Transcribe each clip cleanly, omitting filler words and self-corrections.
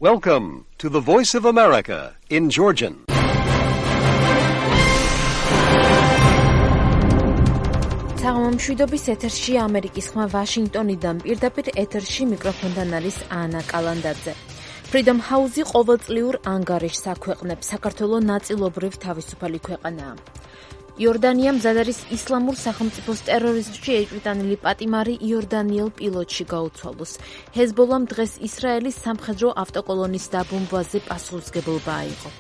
Welcome to the Voice of America in Georgian. Მშვიდობის ეთერში ამერიკის ხმა ვაშინგტონიდან პირდაპირ ეთერში მიკროფონთან არის ანა კალანდაძე. Freedom House-ი ყოველწლიურ ანგარიშს აქვეყნებს. საქართველოს ნაწილობრივ თავისუფალი ქვეყანაა. იორდანია მზად არის ისლამურ სახელმწიფოს ტერორიზმში ეჭვიტანილი პატიმარი იორდანიელ პილოტში გაუცვალოს. ჰეზბოლამ დღეს ისრაელის სამხედრო ავტოკოლონის დაბომბვაზე პასუხისმგებლობა აიღო.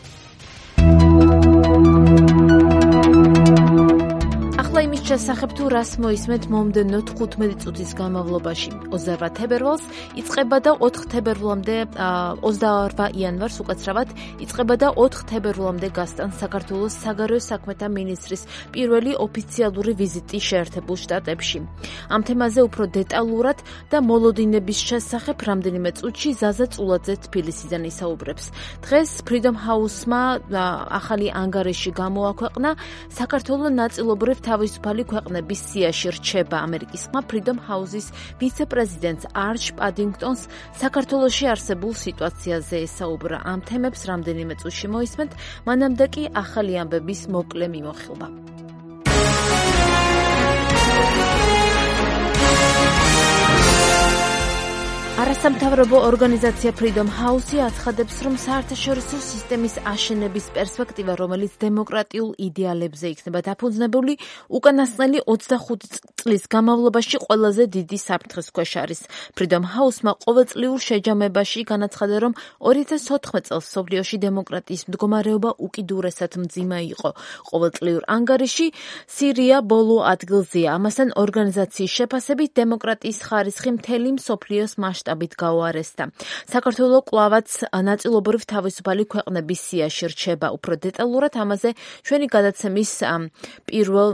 ახლა იმის შესახებ თუ რას მოისმენთ მომდევნო 15 წუთის განმავლობაში. 28 თებერვალს იწყება და 4 თებერვლამდე 28 იანვარს უკაცრავად იწყება და 4 თებერვლამდე გასტან საქართველოს საგარეო საქმეთა მინისტრის პირველი ოფიციალური ვიზიტი შეერთებულ შტატებში. ამ თემაზე უფრო დეტალურად და მოლოდინების შესახებ რამდენიმე წუთში ზაზა წულაძე თბილისიდან ისაუბრებს. დღეს Freedom House-მა ახალი ანგარიში გამოაქვეყნა საქართველოს ნაწილობრივ თავისუფალი ქვეყნების სიაში რჩება. ამერიკის ხმა Freedom House-ის ვიცე-პრეზიდენტს არჩ პადინგტონს საქართველოში არსებულ სიტუაციაზე ესაუბრა. ამ თემებს რამდენიმე წუთში მოისმენთ, მანამდე კი ახალი ამბების მოკლე მიმოხილვა. არასამთავრობო ორგანიზაცია Freedom House-ი აცხადებს, რომ საერთაშორისო სისტემის აშენების პერსპექტივა, რომელიც დემოკრატიულ იდეალებზე იქნება დაფუძნებული, უკანასკნელი 25 წლის განმავლობაში ყველაზე დიდი საფრთხის ქვეშ არის. Freedom House-მა ყოველწლიურ შეჯამებაში განაცხადა, რომ 2014 წელს მსოფლიოში დემოკრატიის მდგომარეობა უკიდურესად მძიმე იყო. ყოველწლიურ ანგარიში სირია ბოლო ადგილზეა. ამასთან ორგანიზაციის შეფასებით დემოკრატიის ხარისხი მთელი მსოფლიოს მასშტაბით გაუარესდა. საქართველოს კვლავაც ნაწილობრივ თავისუფალი ქვეყნების სიაში რჩება. უფრო დეტალურად ამაზე ჩვენი გადაცემის პირველ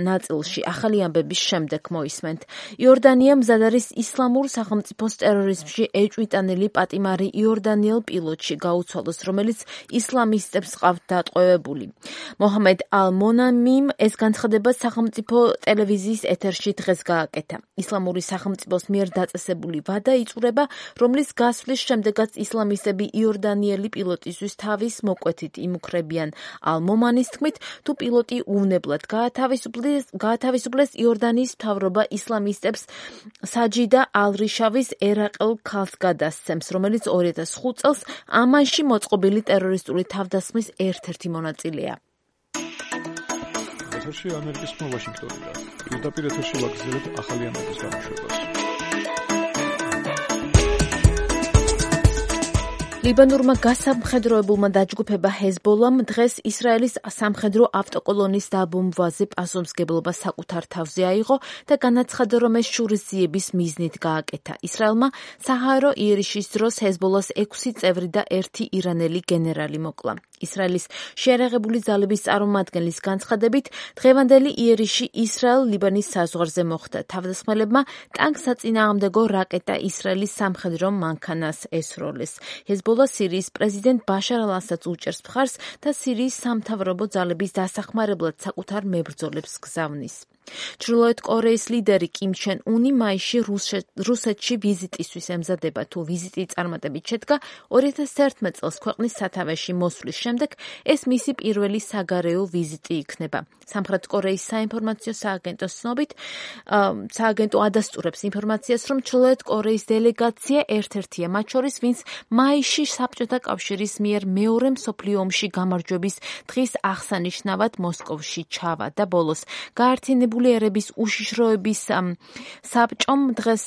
ნაწილში ახალი ამბების შემდეგ მოისმენთ. იორდანია მზად არის ისლამურ სახელმწიფოს ტერორიზმში ეჭვიტანილი პატიმარი იორდანიელ პილოტში გაუცვალოს, რომელიც ისლამისტებს ყავთ დატყვევებული. მოჰამედ ალ-მონამიმ ეს განცხადება სახელმწიფო ტელევიზიის ეთერში დღეს გააკეთა. ისლამური სახელმწიფოს მიერ დაწესებული ვადა იწურება, რომლის გასვლის შემდეგაც ისლამისტები იორდანიელი პილოტისთვის თავის მოკვეთით იმუქრებიან. ალ-მომანის თქმით, თუ პილოტი უვნებლად გაათავისუფლეს, იორდანიის მთავრობა ისლამისტებს საჯიდა ალ-რიშავის ერაყელ ქალს გადასცემს, რომელიც 2005 წელს ამანში მოწყობილი ტერორისტული თავდასხმის ერთ-ერთი მონაწილეა. ეთერში ამერიკის ხმა ვაშინგტონიდან. პირდაპირ ეთერში ვაგრძელებთ ახალი ამბების გამოშვებას. ლიბანურმა გასამხედროებულმა დაჯგუფება ჰეზბოლამ დღეს ისრაელის სამხედრო ავტოკოლონის დაბომბვაზე პასუხისმგებლობა საკუთარ თავზე აიღო და განაცხადა, რომ ეს შურისძიების მიზნით გააკეთა. ისრაელმა საჰაერო იერიშის დროს ჰეზბოლას 6 წევრი და 1 ირანელი გენერალი მოკლა. ისრაელის შეიარაღებული ძალების წარმომადგენლის განცხადებით, დღევანდელი იერიში ისრაელ-ლიბანის საზღვარზე მოხდა. თავდასხმელებმა ტანკსაწინააღმდეგო რაკეტა ისრაელის სამხედრო მანქანას ესროლეს. ჰეზბოლა სირიის პრეზიდენტ ბაშარ ალ-ასადს უჭერს მხარს და სირიის სამთავრობო ძალების დასახმარებლად საკუთარ მებრძოლებს გზავნის. ჩრდილოეთ კორეის ლიდერი კიმ ჩენ უნი მაისში რუსეთში ვიზიტისთვის ემზადება. თუ ვიზიტი წარმატებით შედგა, 2011 წელს ქვეყნის სათავეში მოსვლის შემდეგ ეს მისი პირველი საგარეო ვიზიტი იქნება. სამხრეთ კორეის საინფორმაციო სააგენტოს ცნობით, სააგენტო ადასტურებს ინფორმაციას, რომ ჩრდილოეთ კორეის დელეგაცია ერთ-ერთია მათ შორის, ვინც მაისში საბჭოთა კავშირის მიერ მეორე მსოფლიო ომში გამარჯვების დღის აღსანიშნავად მოსკოვში ჩავა და ბოლოს გაერთიანებული ერების უშიშროების საბჭომ დღეს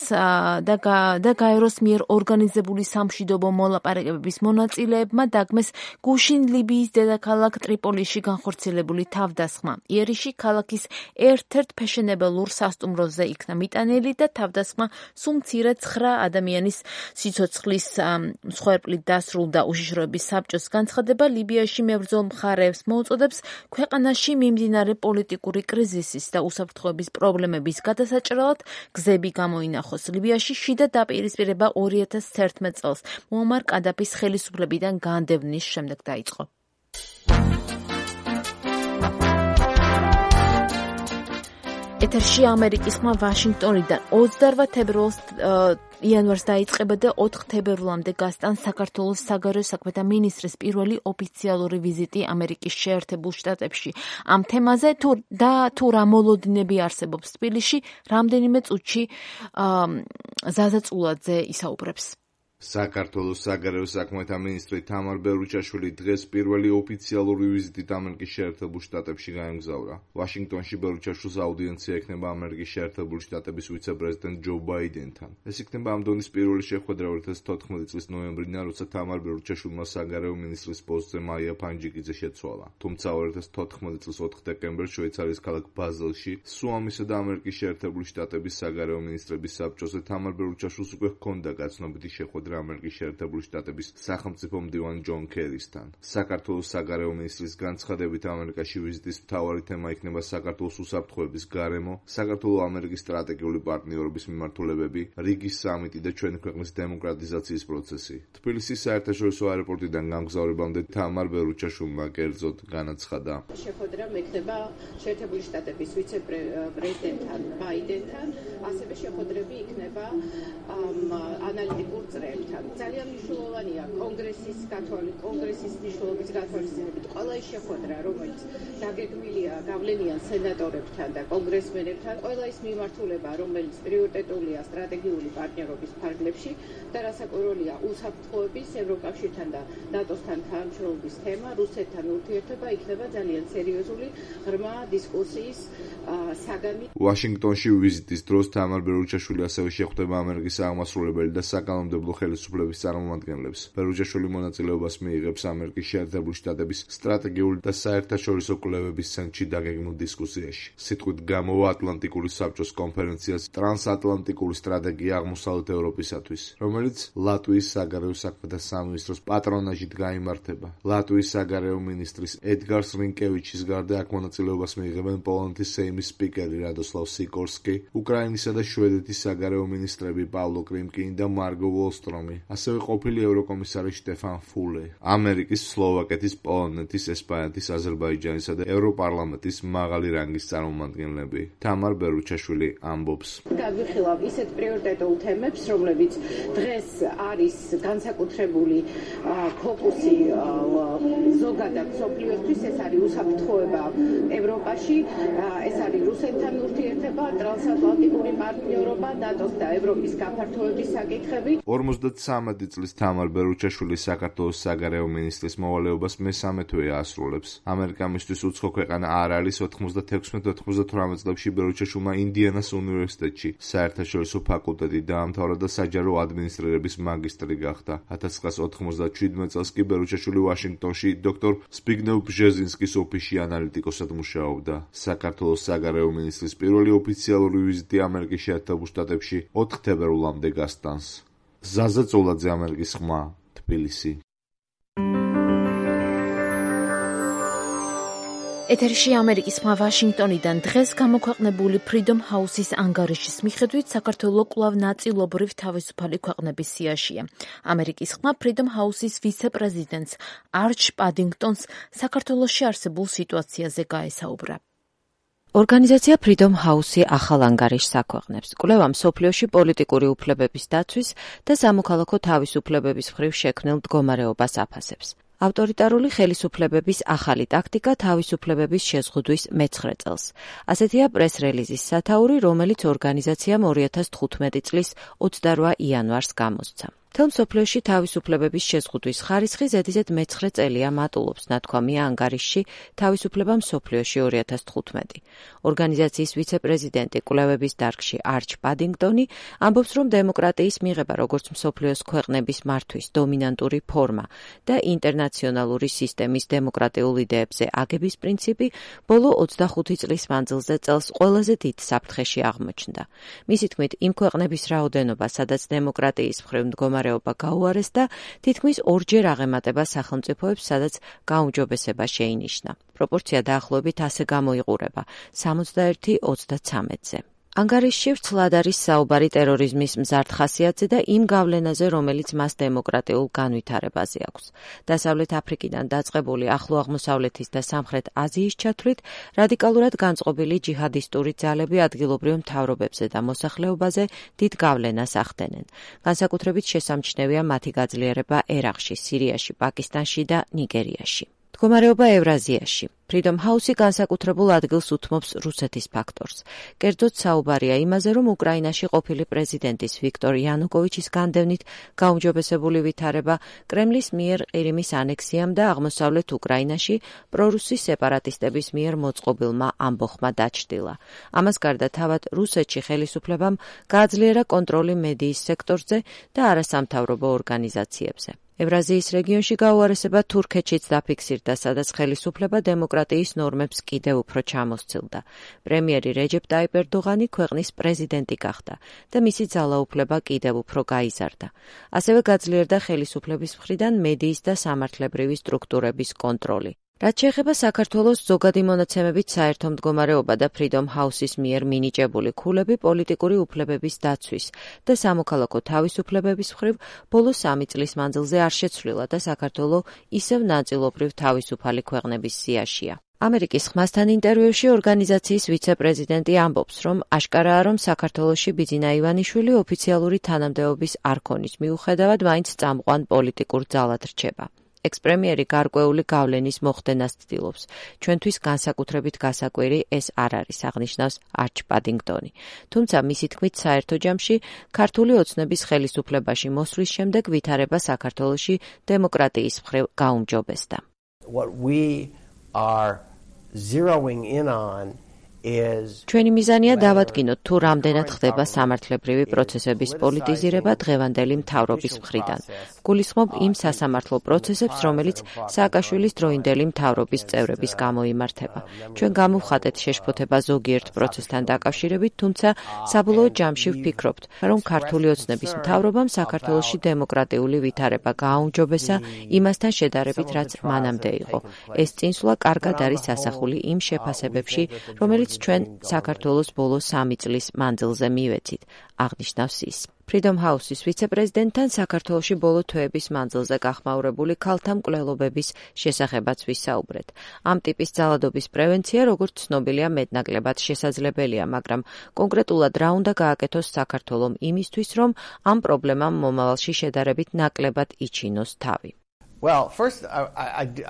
და გაეროს მიერ ორგანიზებული სამშვიდობო მოლაპარაკებების მონაწილეებმა დაგმეს გუშინ ლიბიის დედაქალაქ ტრიპოლიში განხორციელებული თავდასხმა. იერიში ქალაქის ერთ-ერთ ფეშენებელურ სასტუმროზე იქნა მიტანილი და თავდასხმა სულ მცირე 9 ადამიანის სიცოცხლის მსხვერპლით დასრულდა. უშიშროების საბჭოს განცხადება ლიბიაში მებრძოლ მხარეებს მოუწოდებს ქვეყანაში მიმდინარე პოლიტიკური კრიზისის და უსაფრთხოების პრობლემების გადასაჭრელად გზები გამოინახოს. ლიბიაში შიდა დაპირისპირება 2011 წელს მუამარ კადაფის ხელისუფლებიდან განდევნის შემდეგ დაიწყო. ეთერში ამერიკის ხმა ვაშინგტონიდან 28 თებერვალს იანვარს დაიწყება და 4 თებერვლამდე გასტან საქართველოს საგარეო საქმეთა მინისტრის პირველი ოფიციალური ვიზიტი ამერიკის შეერთებულ შტატებში. ამ თემაზე თუ რა მოლოდინები არსებობს თბილისში, რამდენიმე წუთში ზაზა წულაძე ისაუბრებს. საქართველოს საგარეო საქმეთა მინისტრი თამარ ბერუჩაშვილი დღეს პირველი ოფიციალური ვიზიტით ამერიკის შეერთებულ შტატებში გაემგზავრა. ვაშინგტონში ბერუჩაშვილის აუდიენცია ექნება ამერიკის შეერთებული შტატების ვიცე-პრეზიდენტ ჯო ბაიდენთან. ეს იქნება ამ დონის პირველი შეხვედრა 2014 წლის ნოემბრიდან, როცა თამარ ბერუჩაშვილმა საგარეო მინისტრის პოსტზე მაია ფანჯიკიძე შეცვალა. თუმცა 2014 წლის 4 დეკემბერს შვეიცარიის ქალაქ ბაზელში სუამისა და ამერიკის შეერთებული შტატების საგარეო მინისტრების საბჭოზე თამარ ბერუჩაშვილს უკვე ჰქონდა გაცნობიტი შეხვედრა ამერიკის შეერთებული შტატების სახელმწიფო მდივან ჯონ კერისთან. საქართველოს საგარეო მინისტრის განცხადებით ამერიკაში ვიზიტის მთავარი თემა იქნება საქართველოს უსაფრთხოების გარემო, საქართველო-ამერიკის სტრატეგიული პარტნიორობის მიმართულებები, რიგის სამიტი და ჩვენი ქვეყნის დემოკრატიზაციის პროცესი. თბილისის საერთაშორისო აეროპორტიდან გამგზავრებამდე თამარ ბერუჩაშვილმა კერძოდ განაცხადა. შეხვედრა მექნება შეერთებული შტატების ვიცე-პრეზიდენტთან ბაიდენთან, ასევე შეხვედრები იქნება ანალიტიკურ წრეებთან. ძალიან მნიშვნელოვანია კონგრესის მნიშვნელობის გათვალისწინებით ყველა ის შეხვედრა, რომელიც დაგეგმილია გავლენიან სენატორებთან და კონგრესმენებთან, ყველა ის მიმართულება, რომელიც პრიორიტეტულია სტრატეგიული პარტნიორობის ფარგლებში და რასაკვირველია უსაფრთხოების, ევროკავშირთან და ნატოსთან თანამშრომლობის თემა, რუსეთთან ურთიერთობა იქნება ძალიან სერიოზული ღრმა დისკუსიის საგანი. ვაშინგტონში ვიზიტის დროს თამარ ბერუჩაშვილი ასევე შეხვდება ამერიკის აღმასრულებელი და საკანონმდებლო ხელისუფლების წარმომადგენლებს. ბერუჩაშვილი მონაწილეობას მიიღებს ამერიკის შეერთებული შტატების სტრატეგიული და საერთაშორისო კვლევების ცენტრში დაგეგმილ დისკუსიაში. სიტყვით გამოვა ატლანტიკური საბჭოს კონფერენციას ტრანსატლანტიკური სტრატეგია აღმოსავლეთ ევროპისათვის, რომელიც ლატვიის საგარეო საქმეთა სამინისტროს პატრონაჟით გაიმართება. ლატვიის საგარეო მინისტრის ედგარ სრინკევიჩის გარდა აქ მონაწილეობას მიიღებენ პოლონეთის სეიმის სპიკერი რადოსლავ სიკორსკი, უკრაინისა და შვედეთის საგარეო მინისტრები პავლო კრიმკინი და მარგო ვოლსტრომი, ასევე ყოფილი ევროკომისარი შტეფან ფულე, ამერიკის, სლოვაკეთის, პოლონეთის, ესპანეთის, აზერბაიჯანისა და ევროპარლამენტის მაღალი რანგის წარმომადგენლები. თამარ ბერუჩაშვილი ამბობს. გავიხილავ ისეთ პრიორიტეტულ თემებს, რომლებიც დღეს არის განსაკუთრებული ფოკუსი ზოგადად მსოფლიოსთვის, ეს არის უსაფრთხოება ევროპაში, ეს არის რუსეთთან ურთიერთობა, ტრანსატლანტიკური პარტნიორობა, ნატოს და ევროპის გაფართოების საკითხები. 53 წლის თამარ ბერუჩაშვილი საქართველოს საგარეო მინისტრის მოვალეობას მესამე თვეა ასრულებს. ამერიკა მისთვის უცხო ქვეყანა არ არის. 96-98 წლებში ბერუჩაშვილმა ინდიანას უნივერსიტეტში საერთაშორისო ფაკულტეტი დაამთავრა და საჯარო ადმინისტრირების მაგისტრი გახდა. 1997 წელს კი ბერუჩაშვილი ვაშინგტონში დოქტორ სპიგნევ ბჟეზინსკის ოფისში ანალიტიკოსად მუშაობდა. საქართველოს საგარეო მინისტრის პირველი ოფიციალური ვიზიტი ამერიკის შეერთებულ შტატებში 4 თებერვლამდე გასტანს. ზაზა წულაძე, ამერიკის ხმა, თბილისი. ეთერში ამერიკის ხმა ვაშინგტონიდან დღეს გამოქვეყნებული Freedom House-ის ანგარიშის მიხედვით საქართველო კვლავ ნაწილობრივ თავისუფალი ქვეყნების სიაშია. ამერიკის ხმა Freedom House-ის ვიცე-პრეზიდენტს არჩ პადინგტონს საქართველოში არსებულ სიტუაციაზე გაესაუბრა. ორგანიზაცია Freedom House-ი ახალ ანგარიშს აქვეყნებს. კვლევა მსოფლიოში პოლიტიკური უფლებების დაცვის და სამოქალაქო თავისუფლებების მხრივ შექმნილ მდგომარეობას აფასებს. ავტორიტარული ხელისუფლებების ახალი ტაქტიკა თავისუფლებების შეზღუდვის მე-9 წელს. ასეთია პრეს-რელიზის სათაური, რომელიც ორგანიზაციამ 2015 წლის 28 იანვარს გამოსცა. მთელ მსოფლიოში თავისუფლებების შეზღუდვის ხარისხი ზედიზედ მე-9 წელია მატულობს, ნათქვამია ანგარიშში თავისუფლება მსოფლიოში 2015. ორგანიზაციის ვიცე-პრეზიდენტი კვლევების დარგში არჩ პადინგტონი ამბობს, რომ დემოკრატიის მიღება როგორც მსოფლიოს ქვეყნების მართვის დომინანტური ფორმა და ინტერნაციონალური სისტემის დემოკრატიულ იდეებზე აგების პრინციპი ბოლო 25 წლის მანძილზე წელს ყველაზე დიდ საფრთხეში აღმოჩნდა. მისი თქმით, იმ ქვეყნების რაოდენობა, სადაც დემოკრატიის მხრივ მდგომარეობა გაუარესდა, თითქმის 2-ჯერ აღემატება სახელმწიფოებს, სადაც გაუმჯობესება შეინიშნა. პროპორცია დაახლოებით ასე გამოიყურება 61-33-ზე. ანგარიშში ვრცლად არის საუბარი ტერორიზმის მზარდ ხასიათზე და იმ გავლენაზე, რომელიც მას დემოკრატიულ განვითარებაზე აქვს. დასავლეთ აფრიკიდან დაწყებული ახლო აღმოსავლეთის და სამხრეთ აზიის ჩათვლით, რადიკალურად განწყობილი ჯიჰადისტური ძალები ადგილობრივ მთავრობებზე და მოსახლეობაზე დიდ გავლენას ახდენენ. განსაკუთრებით შესამჩნევია მათი გაძლიერება ერაყში, სირიაში, პაკისტანში და ნიგერიაში. მდგომარეობა ევრაზიაში. Freedom House-ი განსაკუთრებულ ადგილს უთმობს რუსეთის ფაქტორს. კერძოდ საუბარია იმაზე, რომ უკრაინაში ყოფილი პრეზიდენტის ვიქტორ იანუკოვიჩის განდევნით გაუმჯობესებული ვითარება კრემლის მიერ ყირიმის ანექსიამ და აღმოსავლეთ უკრაინაში პრორუსი სეპარატისტების მიერ მოწყობილმა ამბოხმა დაჩრდილა. ამას გარდა თავად რუსეთში ხელისუფლებამ გააძლიერა კონტროლი მედიის სექტორზე და არასამთავრობო ორგანიზაციებზე. ევრაზიის რეგიონში გაუარესება თურქეთშიც დაფიქსირდა, სადაც ხელისუფლება დემოკრატიის ნორმებს კიდევ უფრო ჩამოსცილდა. პრემიერი რეჯეპ ტაიპ ერდოღანი ქვეყნის პრეზიდენტი გახდა და მისი ძალაუფლება კიდევ უფრო გაიზარდა. ასევე გაძლიერდა ხელისუფლების მხრიდან მედიის და სამართლებრივი სტრუქტურების კონტროლი. რაც შეეხება საქართველოს ზოგადი მონაცემებით საერთო მდგომარეობა და Freedom House-ის მიერ მინიჭებული ქულები პოლიტიკური უფლებების დაცვის და სამოქალაქო თავისუფლებების მხრივ ბოლო 3 წლის მანძილზე არ შეცვლილა და საქართველო ისევ ნაწილობრივ თავისუფალი ქვეყნების სიაშია. ამერიკის ხმასთან ინტერვიუში ორგანიზაციის ვიცე-პრეზიდენტი ამბობს, რომ აშკარაა, რომ საქართველოში ბიძინა ივანიშვილი ოფიციალური თანამდებობის არ ქონის მიუხედავად მაინც წამყვან პოლიტიკურ ძალად რჩება. ექს-პრემიერი გარკვეული გავლენის მოხდენას ცდილობს. ჩვენთვის განსაკუთრებით გასაკვირი ეს არ არის, აღნიშნავს არჩ პადინგტონი. თუმცა მისი თქმით საერთო ჯამში ქართული ოცნების ხელისუფლებაში მოსვლის შემდეგ ვითარება საქართველოში დემოკრატიის მხრივ გაუმჯობესდა. What we are zeroing in on ჩვენი მიზანია დავადგინოთ თუ რამდენად ხდება სამართლებრივი პროცესების პოლიტიზირება დღევანდელი მთავრობის მხრიდან. გულისხმობ იმ სასამართლო პროცესებს, რომელიც სააკაშვილის დროინდელი მთავრობის წევრების გამოიმართება. ჩვენ გამოვხატეთ შეშფოთება ზოგიერთ პროცესთან დაკავშირებით, თუმცა საბოლოო ჯამში ვფიქრობთ, რომ ქართული ოცნების მთავრობამ საქართველოში დემოკრატიული ვითარება გააუმჯობესა იმასთან შედარებით, რაც მანამდე იყო. ეს წინსვლა კარგად არის ასახული იმ შეფასებებში, რომელიც ჩვენ საქართველოს ბოლო 3 წლის მანძილზე მივეცით, აღნიშნავს ის. Freedom House-ის ვიცე-პრეზიდენტთან საქართველოში ბოლო თვეების მანძილზე გახმაურებული ქალთა მკვლელობების შესახებაც ვისაუბრეთ. ამ ტიპის ძალადობის პრევენცია, როგორც ცნობილია, მეტნაკლებად შესაძლებელია, მაგრამ კონკრეტულად რა უნდა გააკეთოს საქართველომ იმისთვის, რომ ამ პრობლემამ მომავალში შედარებით ნაკლებად იჩინოს თავი. Well, first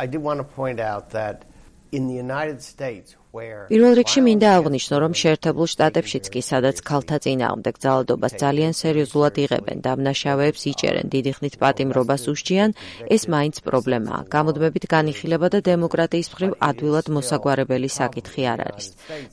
I did want to point out that in the United States პირველ რიგში მინდა აღვნიშნო, რომ შეერთებულ შტატებშიც კი, სადაც ქალთა წინააღმდეგ ძალადობას ძალიან სერიოზულად იღებენ, დამნაშავეებს იჭერენ, დიდი ხნით პატიმრობას უსჯიან, ეს მაინც პრობლემაა. გამუდმებით განიხილება და დემოკრატიის მხრივ ადვილად მოსაგვარებელი საკითხი არ არის.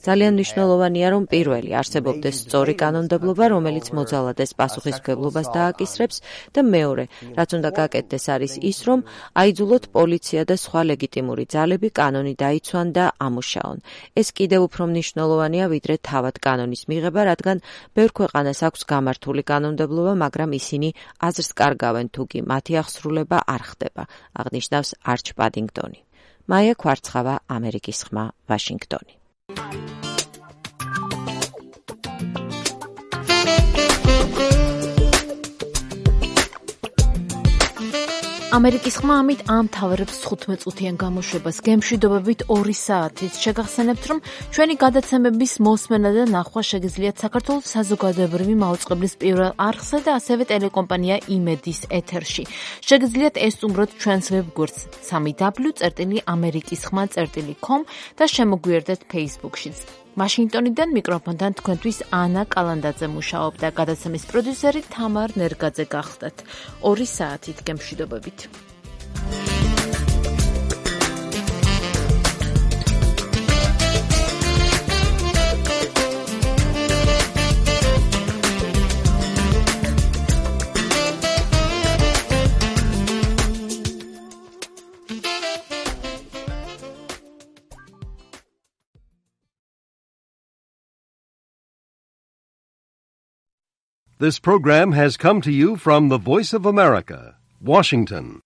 ძალიან მნიშვნელოვანია, რომ პირველი არსებობდეს სწორი კანონმდებლობა, რომელიც მოძალადეს პასუხისმგებლობას დააკისრებს და მეორე, რაც უნდა გაკეთდეს არის ის, რომ აიძულოთ პოლიცია და სხვა ლეგიტიმური ძალები კანონი დაიცვან და ამუშაონ. ეს კიდევ უფრო მნიშვნელოვანია, ვიდრე თავად კანონის მიღება, რადგან ბევრ ქვეყანას აქვს გამართული კანონმდებლობა, მაგრამ ისინი აზრს კარგავენ, თუ კი მათი აღსრულება არ ხდება, აღნიშნავს არჩ პადინგტონი. მაია ქვარცხავა, ამერიკის ხმა, ვაშინგტონი. ამერიკის ხმა ამით ამთავრებს 15 წუთიან გამოშვებას გემშვიდობებით 2 საათით. შეგახსენებთ, რომ ჩვენი გადაცემების მოსმენა და ნახვა შეგიძლიათ საქართველოს საზოგადოებრივი მაუწყებლის პირველ არხზე და ასევე ტელეკომპანია იმედის ეთერში. შეგიძლიათ ესტუმროთ ჩვენს ვებგვერდს www.amerikiskhma.com და შემოგვიერთდეთ Facebook-შიც. ვაშინგტონიდან მიკროფონთან თქვენთვის ანა კალანდაძე მუშაობდა, გადაცემის პროდიუსერი თამარ ნერგაძე გახდათ. 2 საათით გემშვიდობებით. This program has come to you from the Voice of America, Washington.